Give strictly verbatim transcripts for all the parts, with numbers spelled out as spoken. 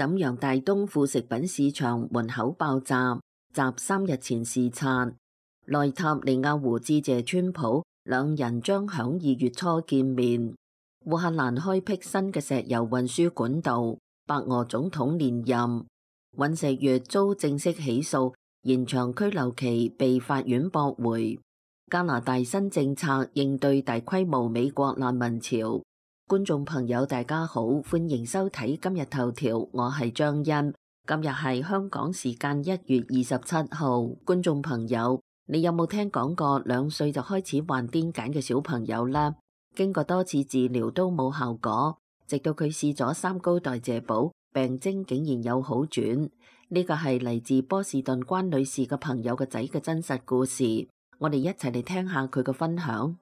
瀋陽大東副食品市場門口爆炸，襲三日前視察。內塔尼亞胡致謝川普，兩人將響二月初見面。烏克蘭開闢新嘅石油運輸管道，白俄總統連任。尹錫悅遭正式起訴，延長拘留期被法院駁回。加拿大新政策應對大規模美國難民潮。觀眾朋友大家好，歡迎收睇今日頭條，我係張欣。今日係香港時間一月二十七號。觀眾朋友，你有冇聽講過兩歲就開始患癲癇嘅小朋友呢？經過多次治療都冇效果，直到佢試咗三高代謝寶，病徵竟然有好轉。呢個係嚟自波士頓關女士嘅朋友嘅仔嘅真實故事，我哋一齊嚟聽下佢嘅分享。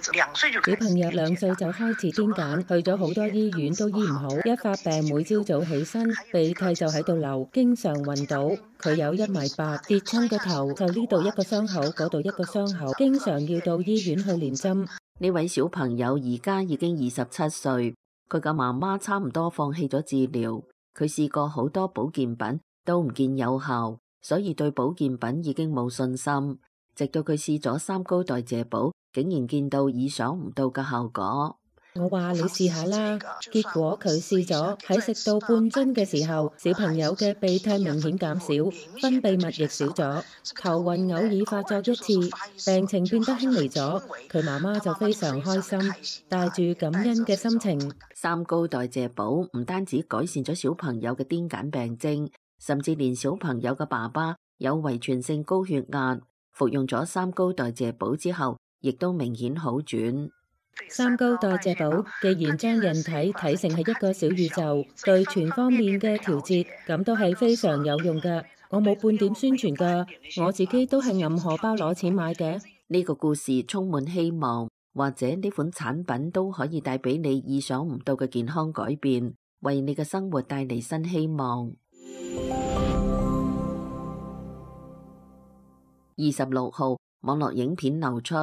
小朋友兩歲就開始癲癇，去咗好多醫院都醫唔好，一發病每朝早起身鼻涕就喺度流，經常暈倒。佢有一米八，跌親個頭就呢度一個傷口，嗰度一個傷口，經常要到醫院去連針。呢位小朋友而家已經二十七歲，佢嘅媽媽差唔多放棄咗治療，佢試過好多保健品都唔見有效，所以對保健品已經冇信心。直到佢試咗三高代謝寶，竟然見到意想唔到嘅效果。我話你試下啦，結果佢試咗，喺食到半樽嘅時候，小朋友嘅鼻涕明顯減少，分泌物亦少咗，頭暈偶爾發作一次，病情變得輕微咗。佢媽媽就非常開心，帶住感恩嘅心情。三高代謝寶唔單止改善咗小朋友嘅癲癇病徵，甚至連小朋友嘅爸爸有遺傳性高血壓，服用咗三高代謝寶之後，亦都明顯好轉。三高代謝寶既然將人體睇成係一個小宇宙，對全方面嘅調節，咁都係非常有用㗎。我冇半點宣傳㗎，我自己都係揞荷包攞錢買嘅。呢個故事充滿希望，或者呢款產品都可以帶俾你意想唔到嘅健康改變，為你嘅生活帶嚟新希望。二十六號，網絡影片流出，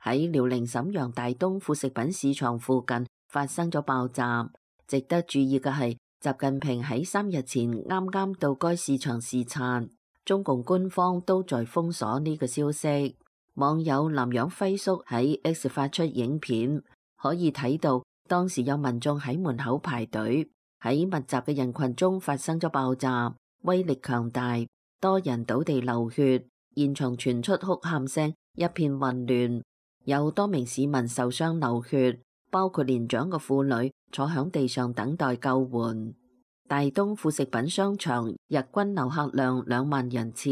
喺遼寧瀋陽大東副食品市場附近發生咗爆炸。值得注意嘅係，習近平喺三日前啱啱到該市場視察，中共官方都在封鎖呢個消息。網友南洋輝叔喺 X 發出影片，可以睇到當時有民眾喺門口排隊，喺密集嘅人群中發生咗爆炸，威力強大，多人倒地流血，現場傳出哭喊聲，一片混亂。有多名市民受傷流血，包括年長嘅婦女坐響地上等待救援。大東副食品商場日均遊客量兩萬人次。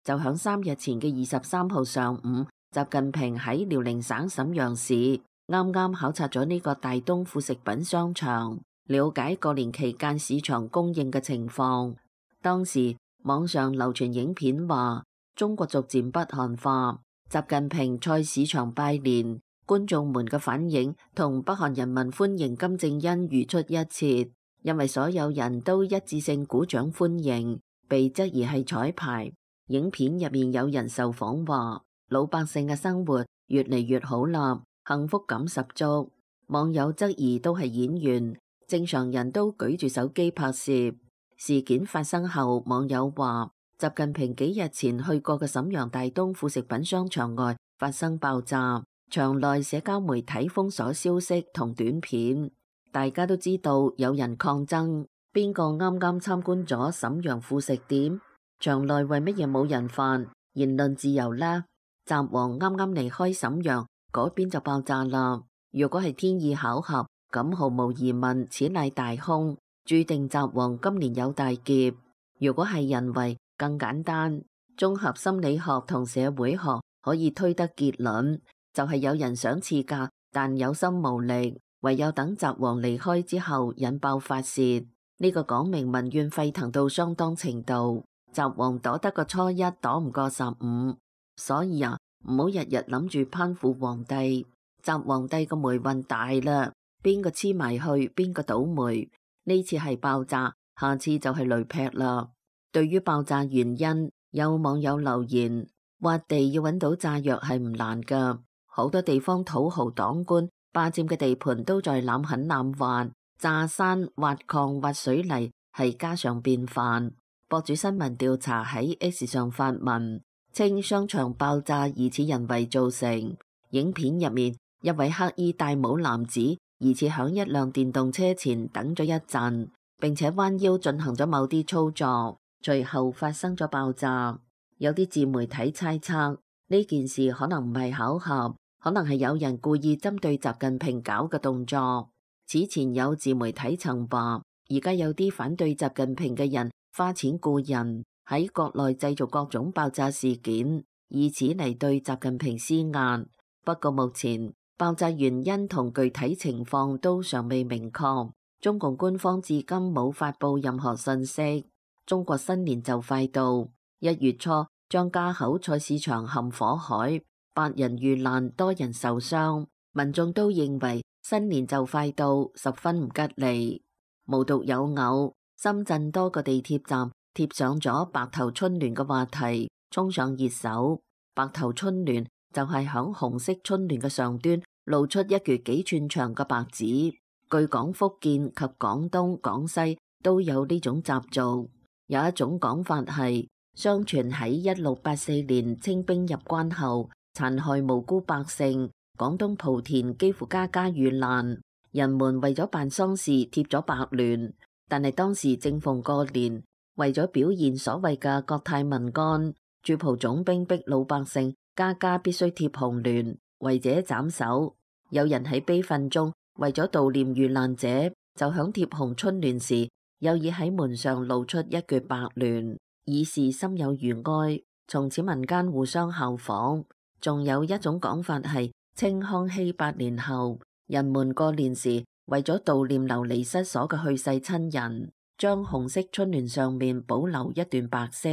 就響三日前嘅二十三號上午，習近平喺遼寧省瀋陽市啱啱考察咗呢個大東副食品商場，了解過年期間市場供應嘅情況。當時網上流傳影片話，中國逐漸北韓化。習近平在市場拜年，觀眾們嘅反應同北韓人民歡迎金正恩如出一轍，因為所有人都一致性鼓掌歡迎，被質疑係彩排。影片入面有人受訪話，老百姓嘅生活越嚟越好啦，幸福感十足。網友質疑都係演員，正常人都舉住手機拍攝。事件發生後，網友話，習近平幾日前去過嘅瀋陽大東副食品商場外發生爆炸，場內社交媒體封鎖消息同短片。大家都知道有人抗爭，邊個啱啱參觀咗瀋陽副食店？場內為乜嘢冇人犯？言論自由呢？習王啱啱離開瀋陽，嗰邊就爆炸啦。如果係天意巧合，咁毫無疑問，此乃大凶，注定習王今年有大劫。如果係人為，更簡單，綜合心理學同社會學可以推得結論，就係有人想賜教，但有心無力，唯有等習王離開之後引爆發洩。呢個講明民怨沸騰到相當程度，習王躲得個初一，躲唔過十五。所以啊，唔好日日諗住攀附皇帝，習皇帝個霉運大啦，邊個黐埋去，邊個倒霉。呢次係爆炸，下次就係雷劈啦。對於爆炸原因，有網友留言，挖地要揾到炸藥係唔難噶，好多地方土豪黨官霸佔嘅地盤都在濫狠濫挖，炸山、挖礦、挖水泥係家常便飯。博主新聞調查喺 X 上發文，稱商場爆炸疑似人為造成。影片入面，一位黑衣戴帽男子疑似響一輛電動車前等咗一陣，並且彎腰進行咗某啲操作，隨後發生咗爆炸。有啲自媒體猜測呢件事可能唔係巧合，可能係有人故意針對習近平搞嘅動作。此前有自媒體曾話，而家有啲反對習近平嘅人花錢雇人喺國內製造各種爆炸事件，以此嚟對習近平施壓。不過目前爆炸原因同具體情況都尚未明確，中共官方至今冇發布任何信息。中國新年就快到，一月初張家口菜市場陷火海，八人遇難，多人受傷，民眾都認為新年就快到，十分唔吉利。無獨有偶，深圳多個地鐵站貼上咗白頭春聯嘅話題，衝上熱搜。白頭春聯就係響紅色春聯嘅上端露出一橛幾寸長嘅白紙。據講，福建及廣東、廣西都有呢種習俗。有一種講法係，相傳喺一六八四年清兵入關後，殘害無辜百姓，廣東莆田幾乎家家遇難，人們為咗辦喪事貼咗白聯。但係當時正逢過年，為咗表現所謂嘅國泰民安，駐蒲總兵逼老百姓家家必須貼紅聯，違者斬首。有人喺悲憤中為咗悼念遇難者，就響貼紅春聯時，有意喺門上露出一橛白聯，以示心有餘哀。從此民間互相效仿。仲有一種講法係，清康熙八年後，人們過年時為咗悼念流離失所嘅去世親人，將紅色春聯上面保留一段白色。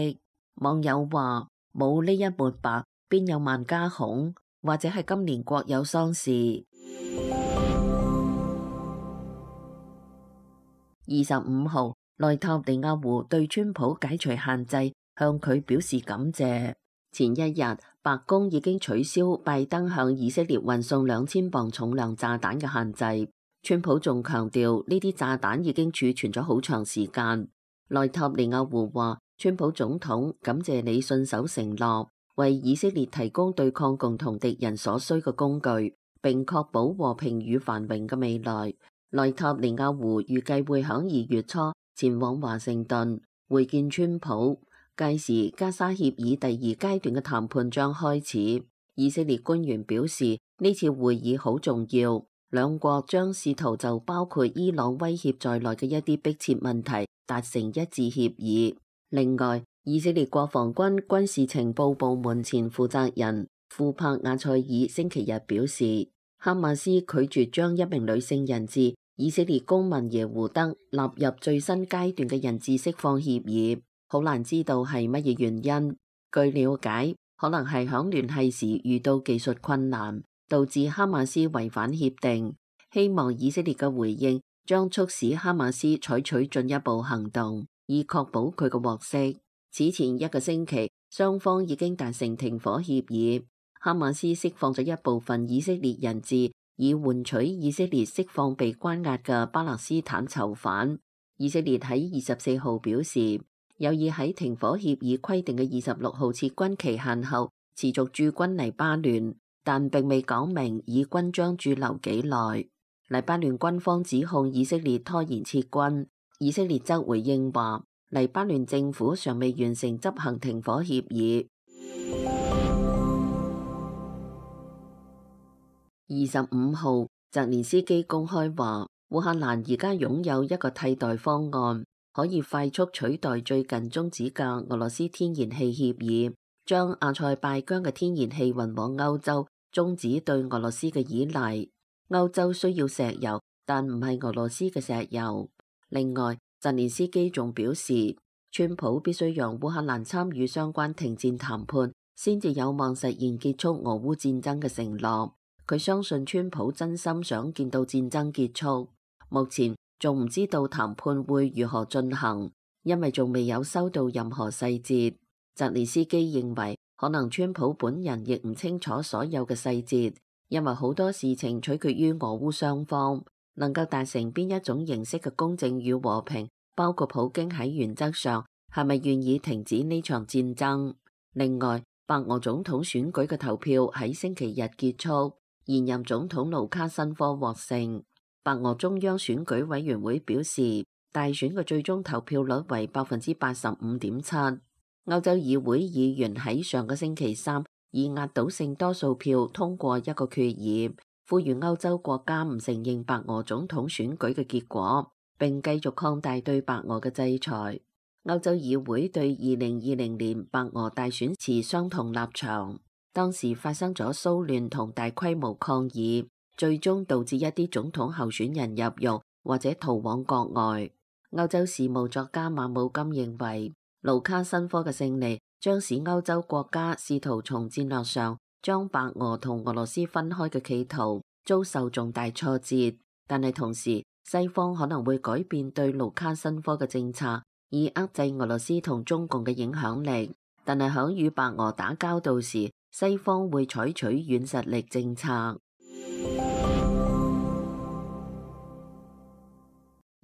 網友話：冇呢一抹白，邊有萬家紅？或者係今年國有喪事。二十五號，內塔尼亞胡對川普解除限制，向佢表示感謝。前一日，白宮已經取消拜登向以色列運送兩千磅重量炸彈嘅限制。川普仲強調呢啲炸彈已經儲存咗好長時間。內塔尼亞胡話：川普總統，感謝你信守承諾，為以色列提供對抗共同敵人所需嘅工具，並確保和平與繁榮嘅未來。內塔尼亞胡預計會響二月初前往華盛頓會見川普，屆時加沙協議第二階段嘅談判將開始。以色列官員表示，呢次會議好重要，兩國將試圖就包括伊朗威脅在內嘅一啲迫切問題達成一致協議。另外，以色列國防軍軍事情報部門前負責人庫柏亞塞爾星期日表示，哈馬斯拒絕將一名女性人質以色列公民耶胡德納入最新階段嘅人質釋放協議，好難知道係乜嘢原因。據了解，可能係響聯繫時遇到技術困難，導致哈馬斯違反協定。希望以色列嘅回應將促使哈馬斯採取進一步行動，以確保佢嘅獲釋。此前一個星期，雙方已經達成停火協議，哈馬斯釋放咗一部分以色列人質，以換取以色列釋放被關押嘅巴勒斯坦囚犯。以色列喺二十四號表示，有意喺停火協議規定嘅二十六號撤軍期限後持續駐軍黎巴嫩，但並未講明以軍將駐留幾耐。黎巴嫩軍方指控以色列拖延撤軍，以色列則回應話，黎巴嫩政府尚未完成執行停火協議。二十五號，澤連斯基公開話，烏克蘭而家擁有一個替代方案，可以快速取代最近終止嘅俄羅斯天然氣協議，將阿塞拜疆嘅天然氣運往歐洲，終止對俄羅斯嘅依賴。歐洲需要石油，但唔係俄羅斯嘅石油。另外，澤連斯基仲表示，川普必須讓烏克蘭參與相關停戰談判，先至有望實現結束俄烏戰爭嘅承諾。佢相信川普真心想見到戰爭結束，目前仲唔知道談判會如何進行，因為仲未有收到任何細節。澤連斯基認為，可能川普本人亦唔清楚所有嘅細節，因為好多事情取決於俄烏雙方能夠達成邊一種形式嘅公正與和平，包括普京喺原則上係咪願意停止呢場戰爭。另外，白俄總統選舉嘅投票喺星期日結束，現任總統盧卡申科獲勝。白俄中央選舉委員會表示，大選嘅最終投票率為百分之八十五點七。歐洲議會議員喺上個星期三以壓倒性多數票通過一個決議，呼籲歐洲國家唔承認白俄總統選舉嘅結果，並繼續擴大對白俄嘅制裁。歐洲議會對二零二零年白俄大選持相同立場，當時發生咗騷亂同大規模抗議，最終導致一啲總統候選人入獄或者逃往國外。歐洲事務作家馬姆金認為，盧卡申科嘅勝利將使歐洲國家試圖從戰略上將白俄同俄羅斯分開嘅企圖遭受重大挫折，但係同時西方可能會改變對盧卡申科嘅政策，以遏制俄羅斯同中共嘅影響力。但係響與白俄打交道時，西方會採取軟實力政策。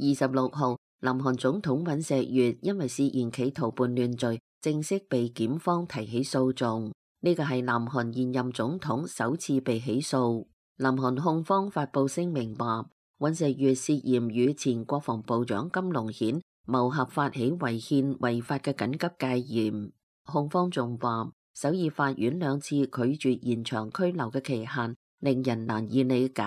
二十六號，南韓總統尹錫悅因為涉嫌企圖叛亂罪，正式被檢方提起訴訟。呢個係南韓現任總統首次被起訴。南韓控方發布聲明話，尹錫悅涉嫌與前國防部長金龍顯謀合發起違憲違法嘅緊急戒嚴。控方仲話，首爾法院兩次拒絕延長拘留嘅期限，令人難以理解，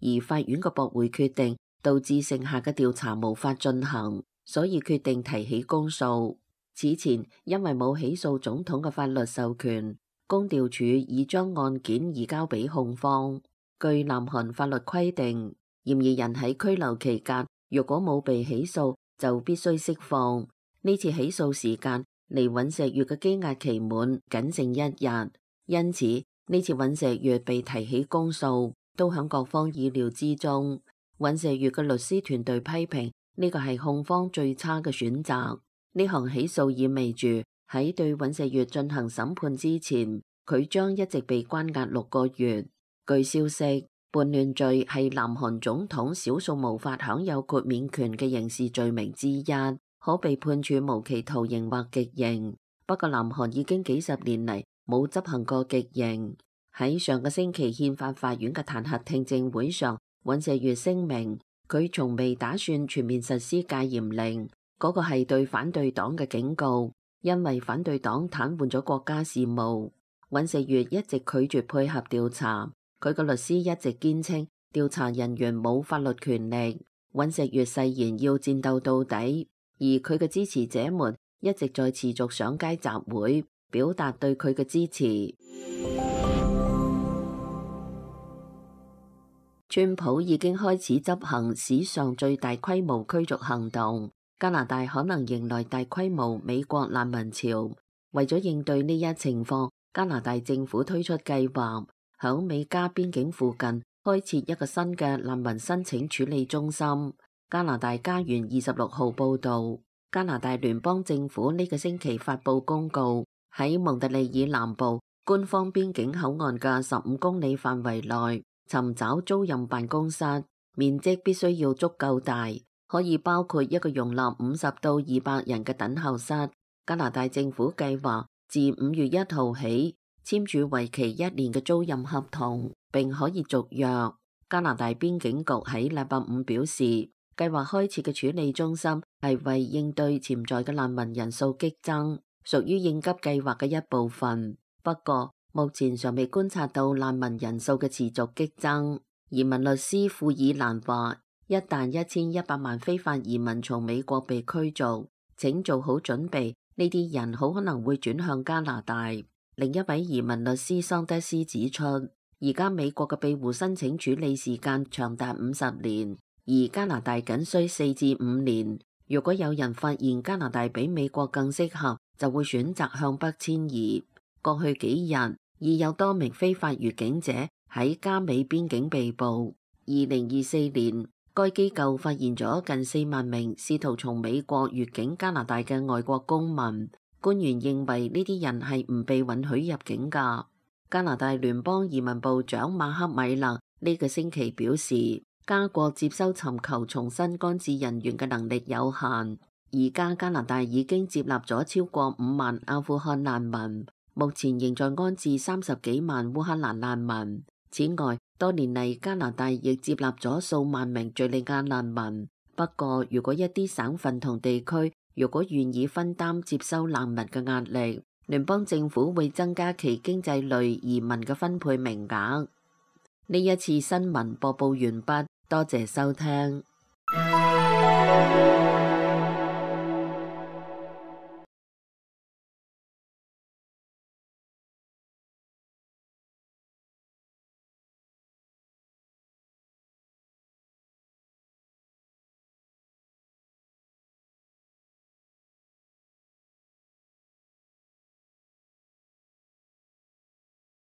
而法院嘅駁回決定導致剩下嘅調查無法進行，所以決定提起公訴。此前因為冇起訴總統嘅法律授權，公調處已將案件移交俾控方。據南韓法律規定，嫌疑人喺拘留期間若果冇被起訴，就必須釋放。呢次起訴時間離尹錫悅嘅羈押期滿僅剩一日，因此呢次尹錫悅被提起公訴都響各方意料之中。尹錫悅嘅律師團隊批評呢個係控方最差嘅選擇。呢項起訴意味住喺對尹錫悅進行審判之前，佢將一直被關押六個月。據消息，叛亂罪係南韓總統少數無法享有豁免權嘅刑事罪名之一，可被判處無期徒刑或極刑。不過南韓已經幾十年嚟冇執行過極刑。喺上個星期憲法法院嘅彈劾聽證會上，尹錫悅聲明佢從未打算全面實施戒嚴令，嗰個係對反對黨嘅警告，因為反對黨癱瘓咗國家事務。尹錫悅一直拒絕配合調查，佢個律師一直堅稱調查人員冇法律權力。尹錫悅誓言要戰鬥到底，而佢嘅支持者們一直在持續上街集會，表達對佢嘅支持。川普已經開始執行史上最大規模驅逐行動，加拿大可能迎來大規模美國難民潮。為咗應對呢一情況，加拿大政府推出計劃，響美加邊境附近開設一個新嘅難民申請處理中心。加拿大家園二十六號報道，加拿大聯邦政府呢個星期發布公告，喺蒙特利爾南部官方邊境口岸嘅十五公里範圍內尋找租賃辦公室，面積必須要足夠大，可以包括一個容納五十到二百人嘅等候室。加拿大政府計劃自五月一號起簽署為期一年嘅租賃合同，並可以續約。加拿大邊境局喺禮拜五表示，計劃開設嘅處理中心係為應對潛在嘅難民人數激增，屬於應急計劃嘅一部分。不過目前尚未觀察到難民人數嘅持續激增。移民律師庫爾蘭話，一旦一千一百萬非法移民從美國被驅逐，請做好準備，呢啲人好可能會轉向加拿大。另一位移民律師桑德斯指出，而家美國嘅庇護申請處理時間長達五十年，而加拿大僅需四至五年。如果有人發現加拿大比美國更適合，就會選擇向北遷移。過去幾日已有多名非法越境者喺加美邊境被捕。二零二四年，該機構發現咗近四萬名試圖從美國越境加拿大嘅外國公民。官員認為呢啲人係唔被允許入境㗎。加拿大聯邦移民部長馬克米勒呢個星期表示，加國接收尋求重新安置人員嘅能力有限。而家加拿大已經接納咗超過五萬阿富汗難民，目前仍在安置三十幾萬烏克蘭難民。此外，多年嚟加拿大亦接納咗數萬名敘利亞難民。不過，如果一啲省份同地區如果願意分擔接收難民嘅壓力，聯邦政府會增加其經濟類移民嘅分配名額。呢一次新聞播報完畢，多謝收聽。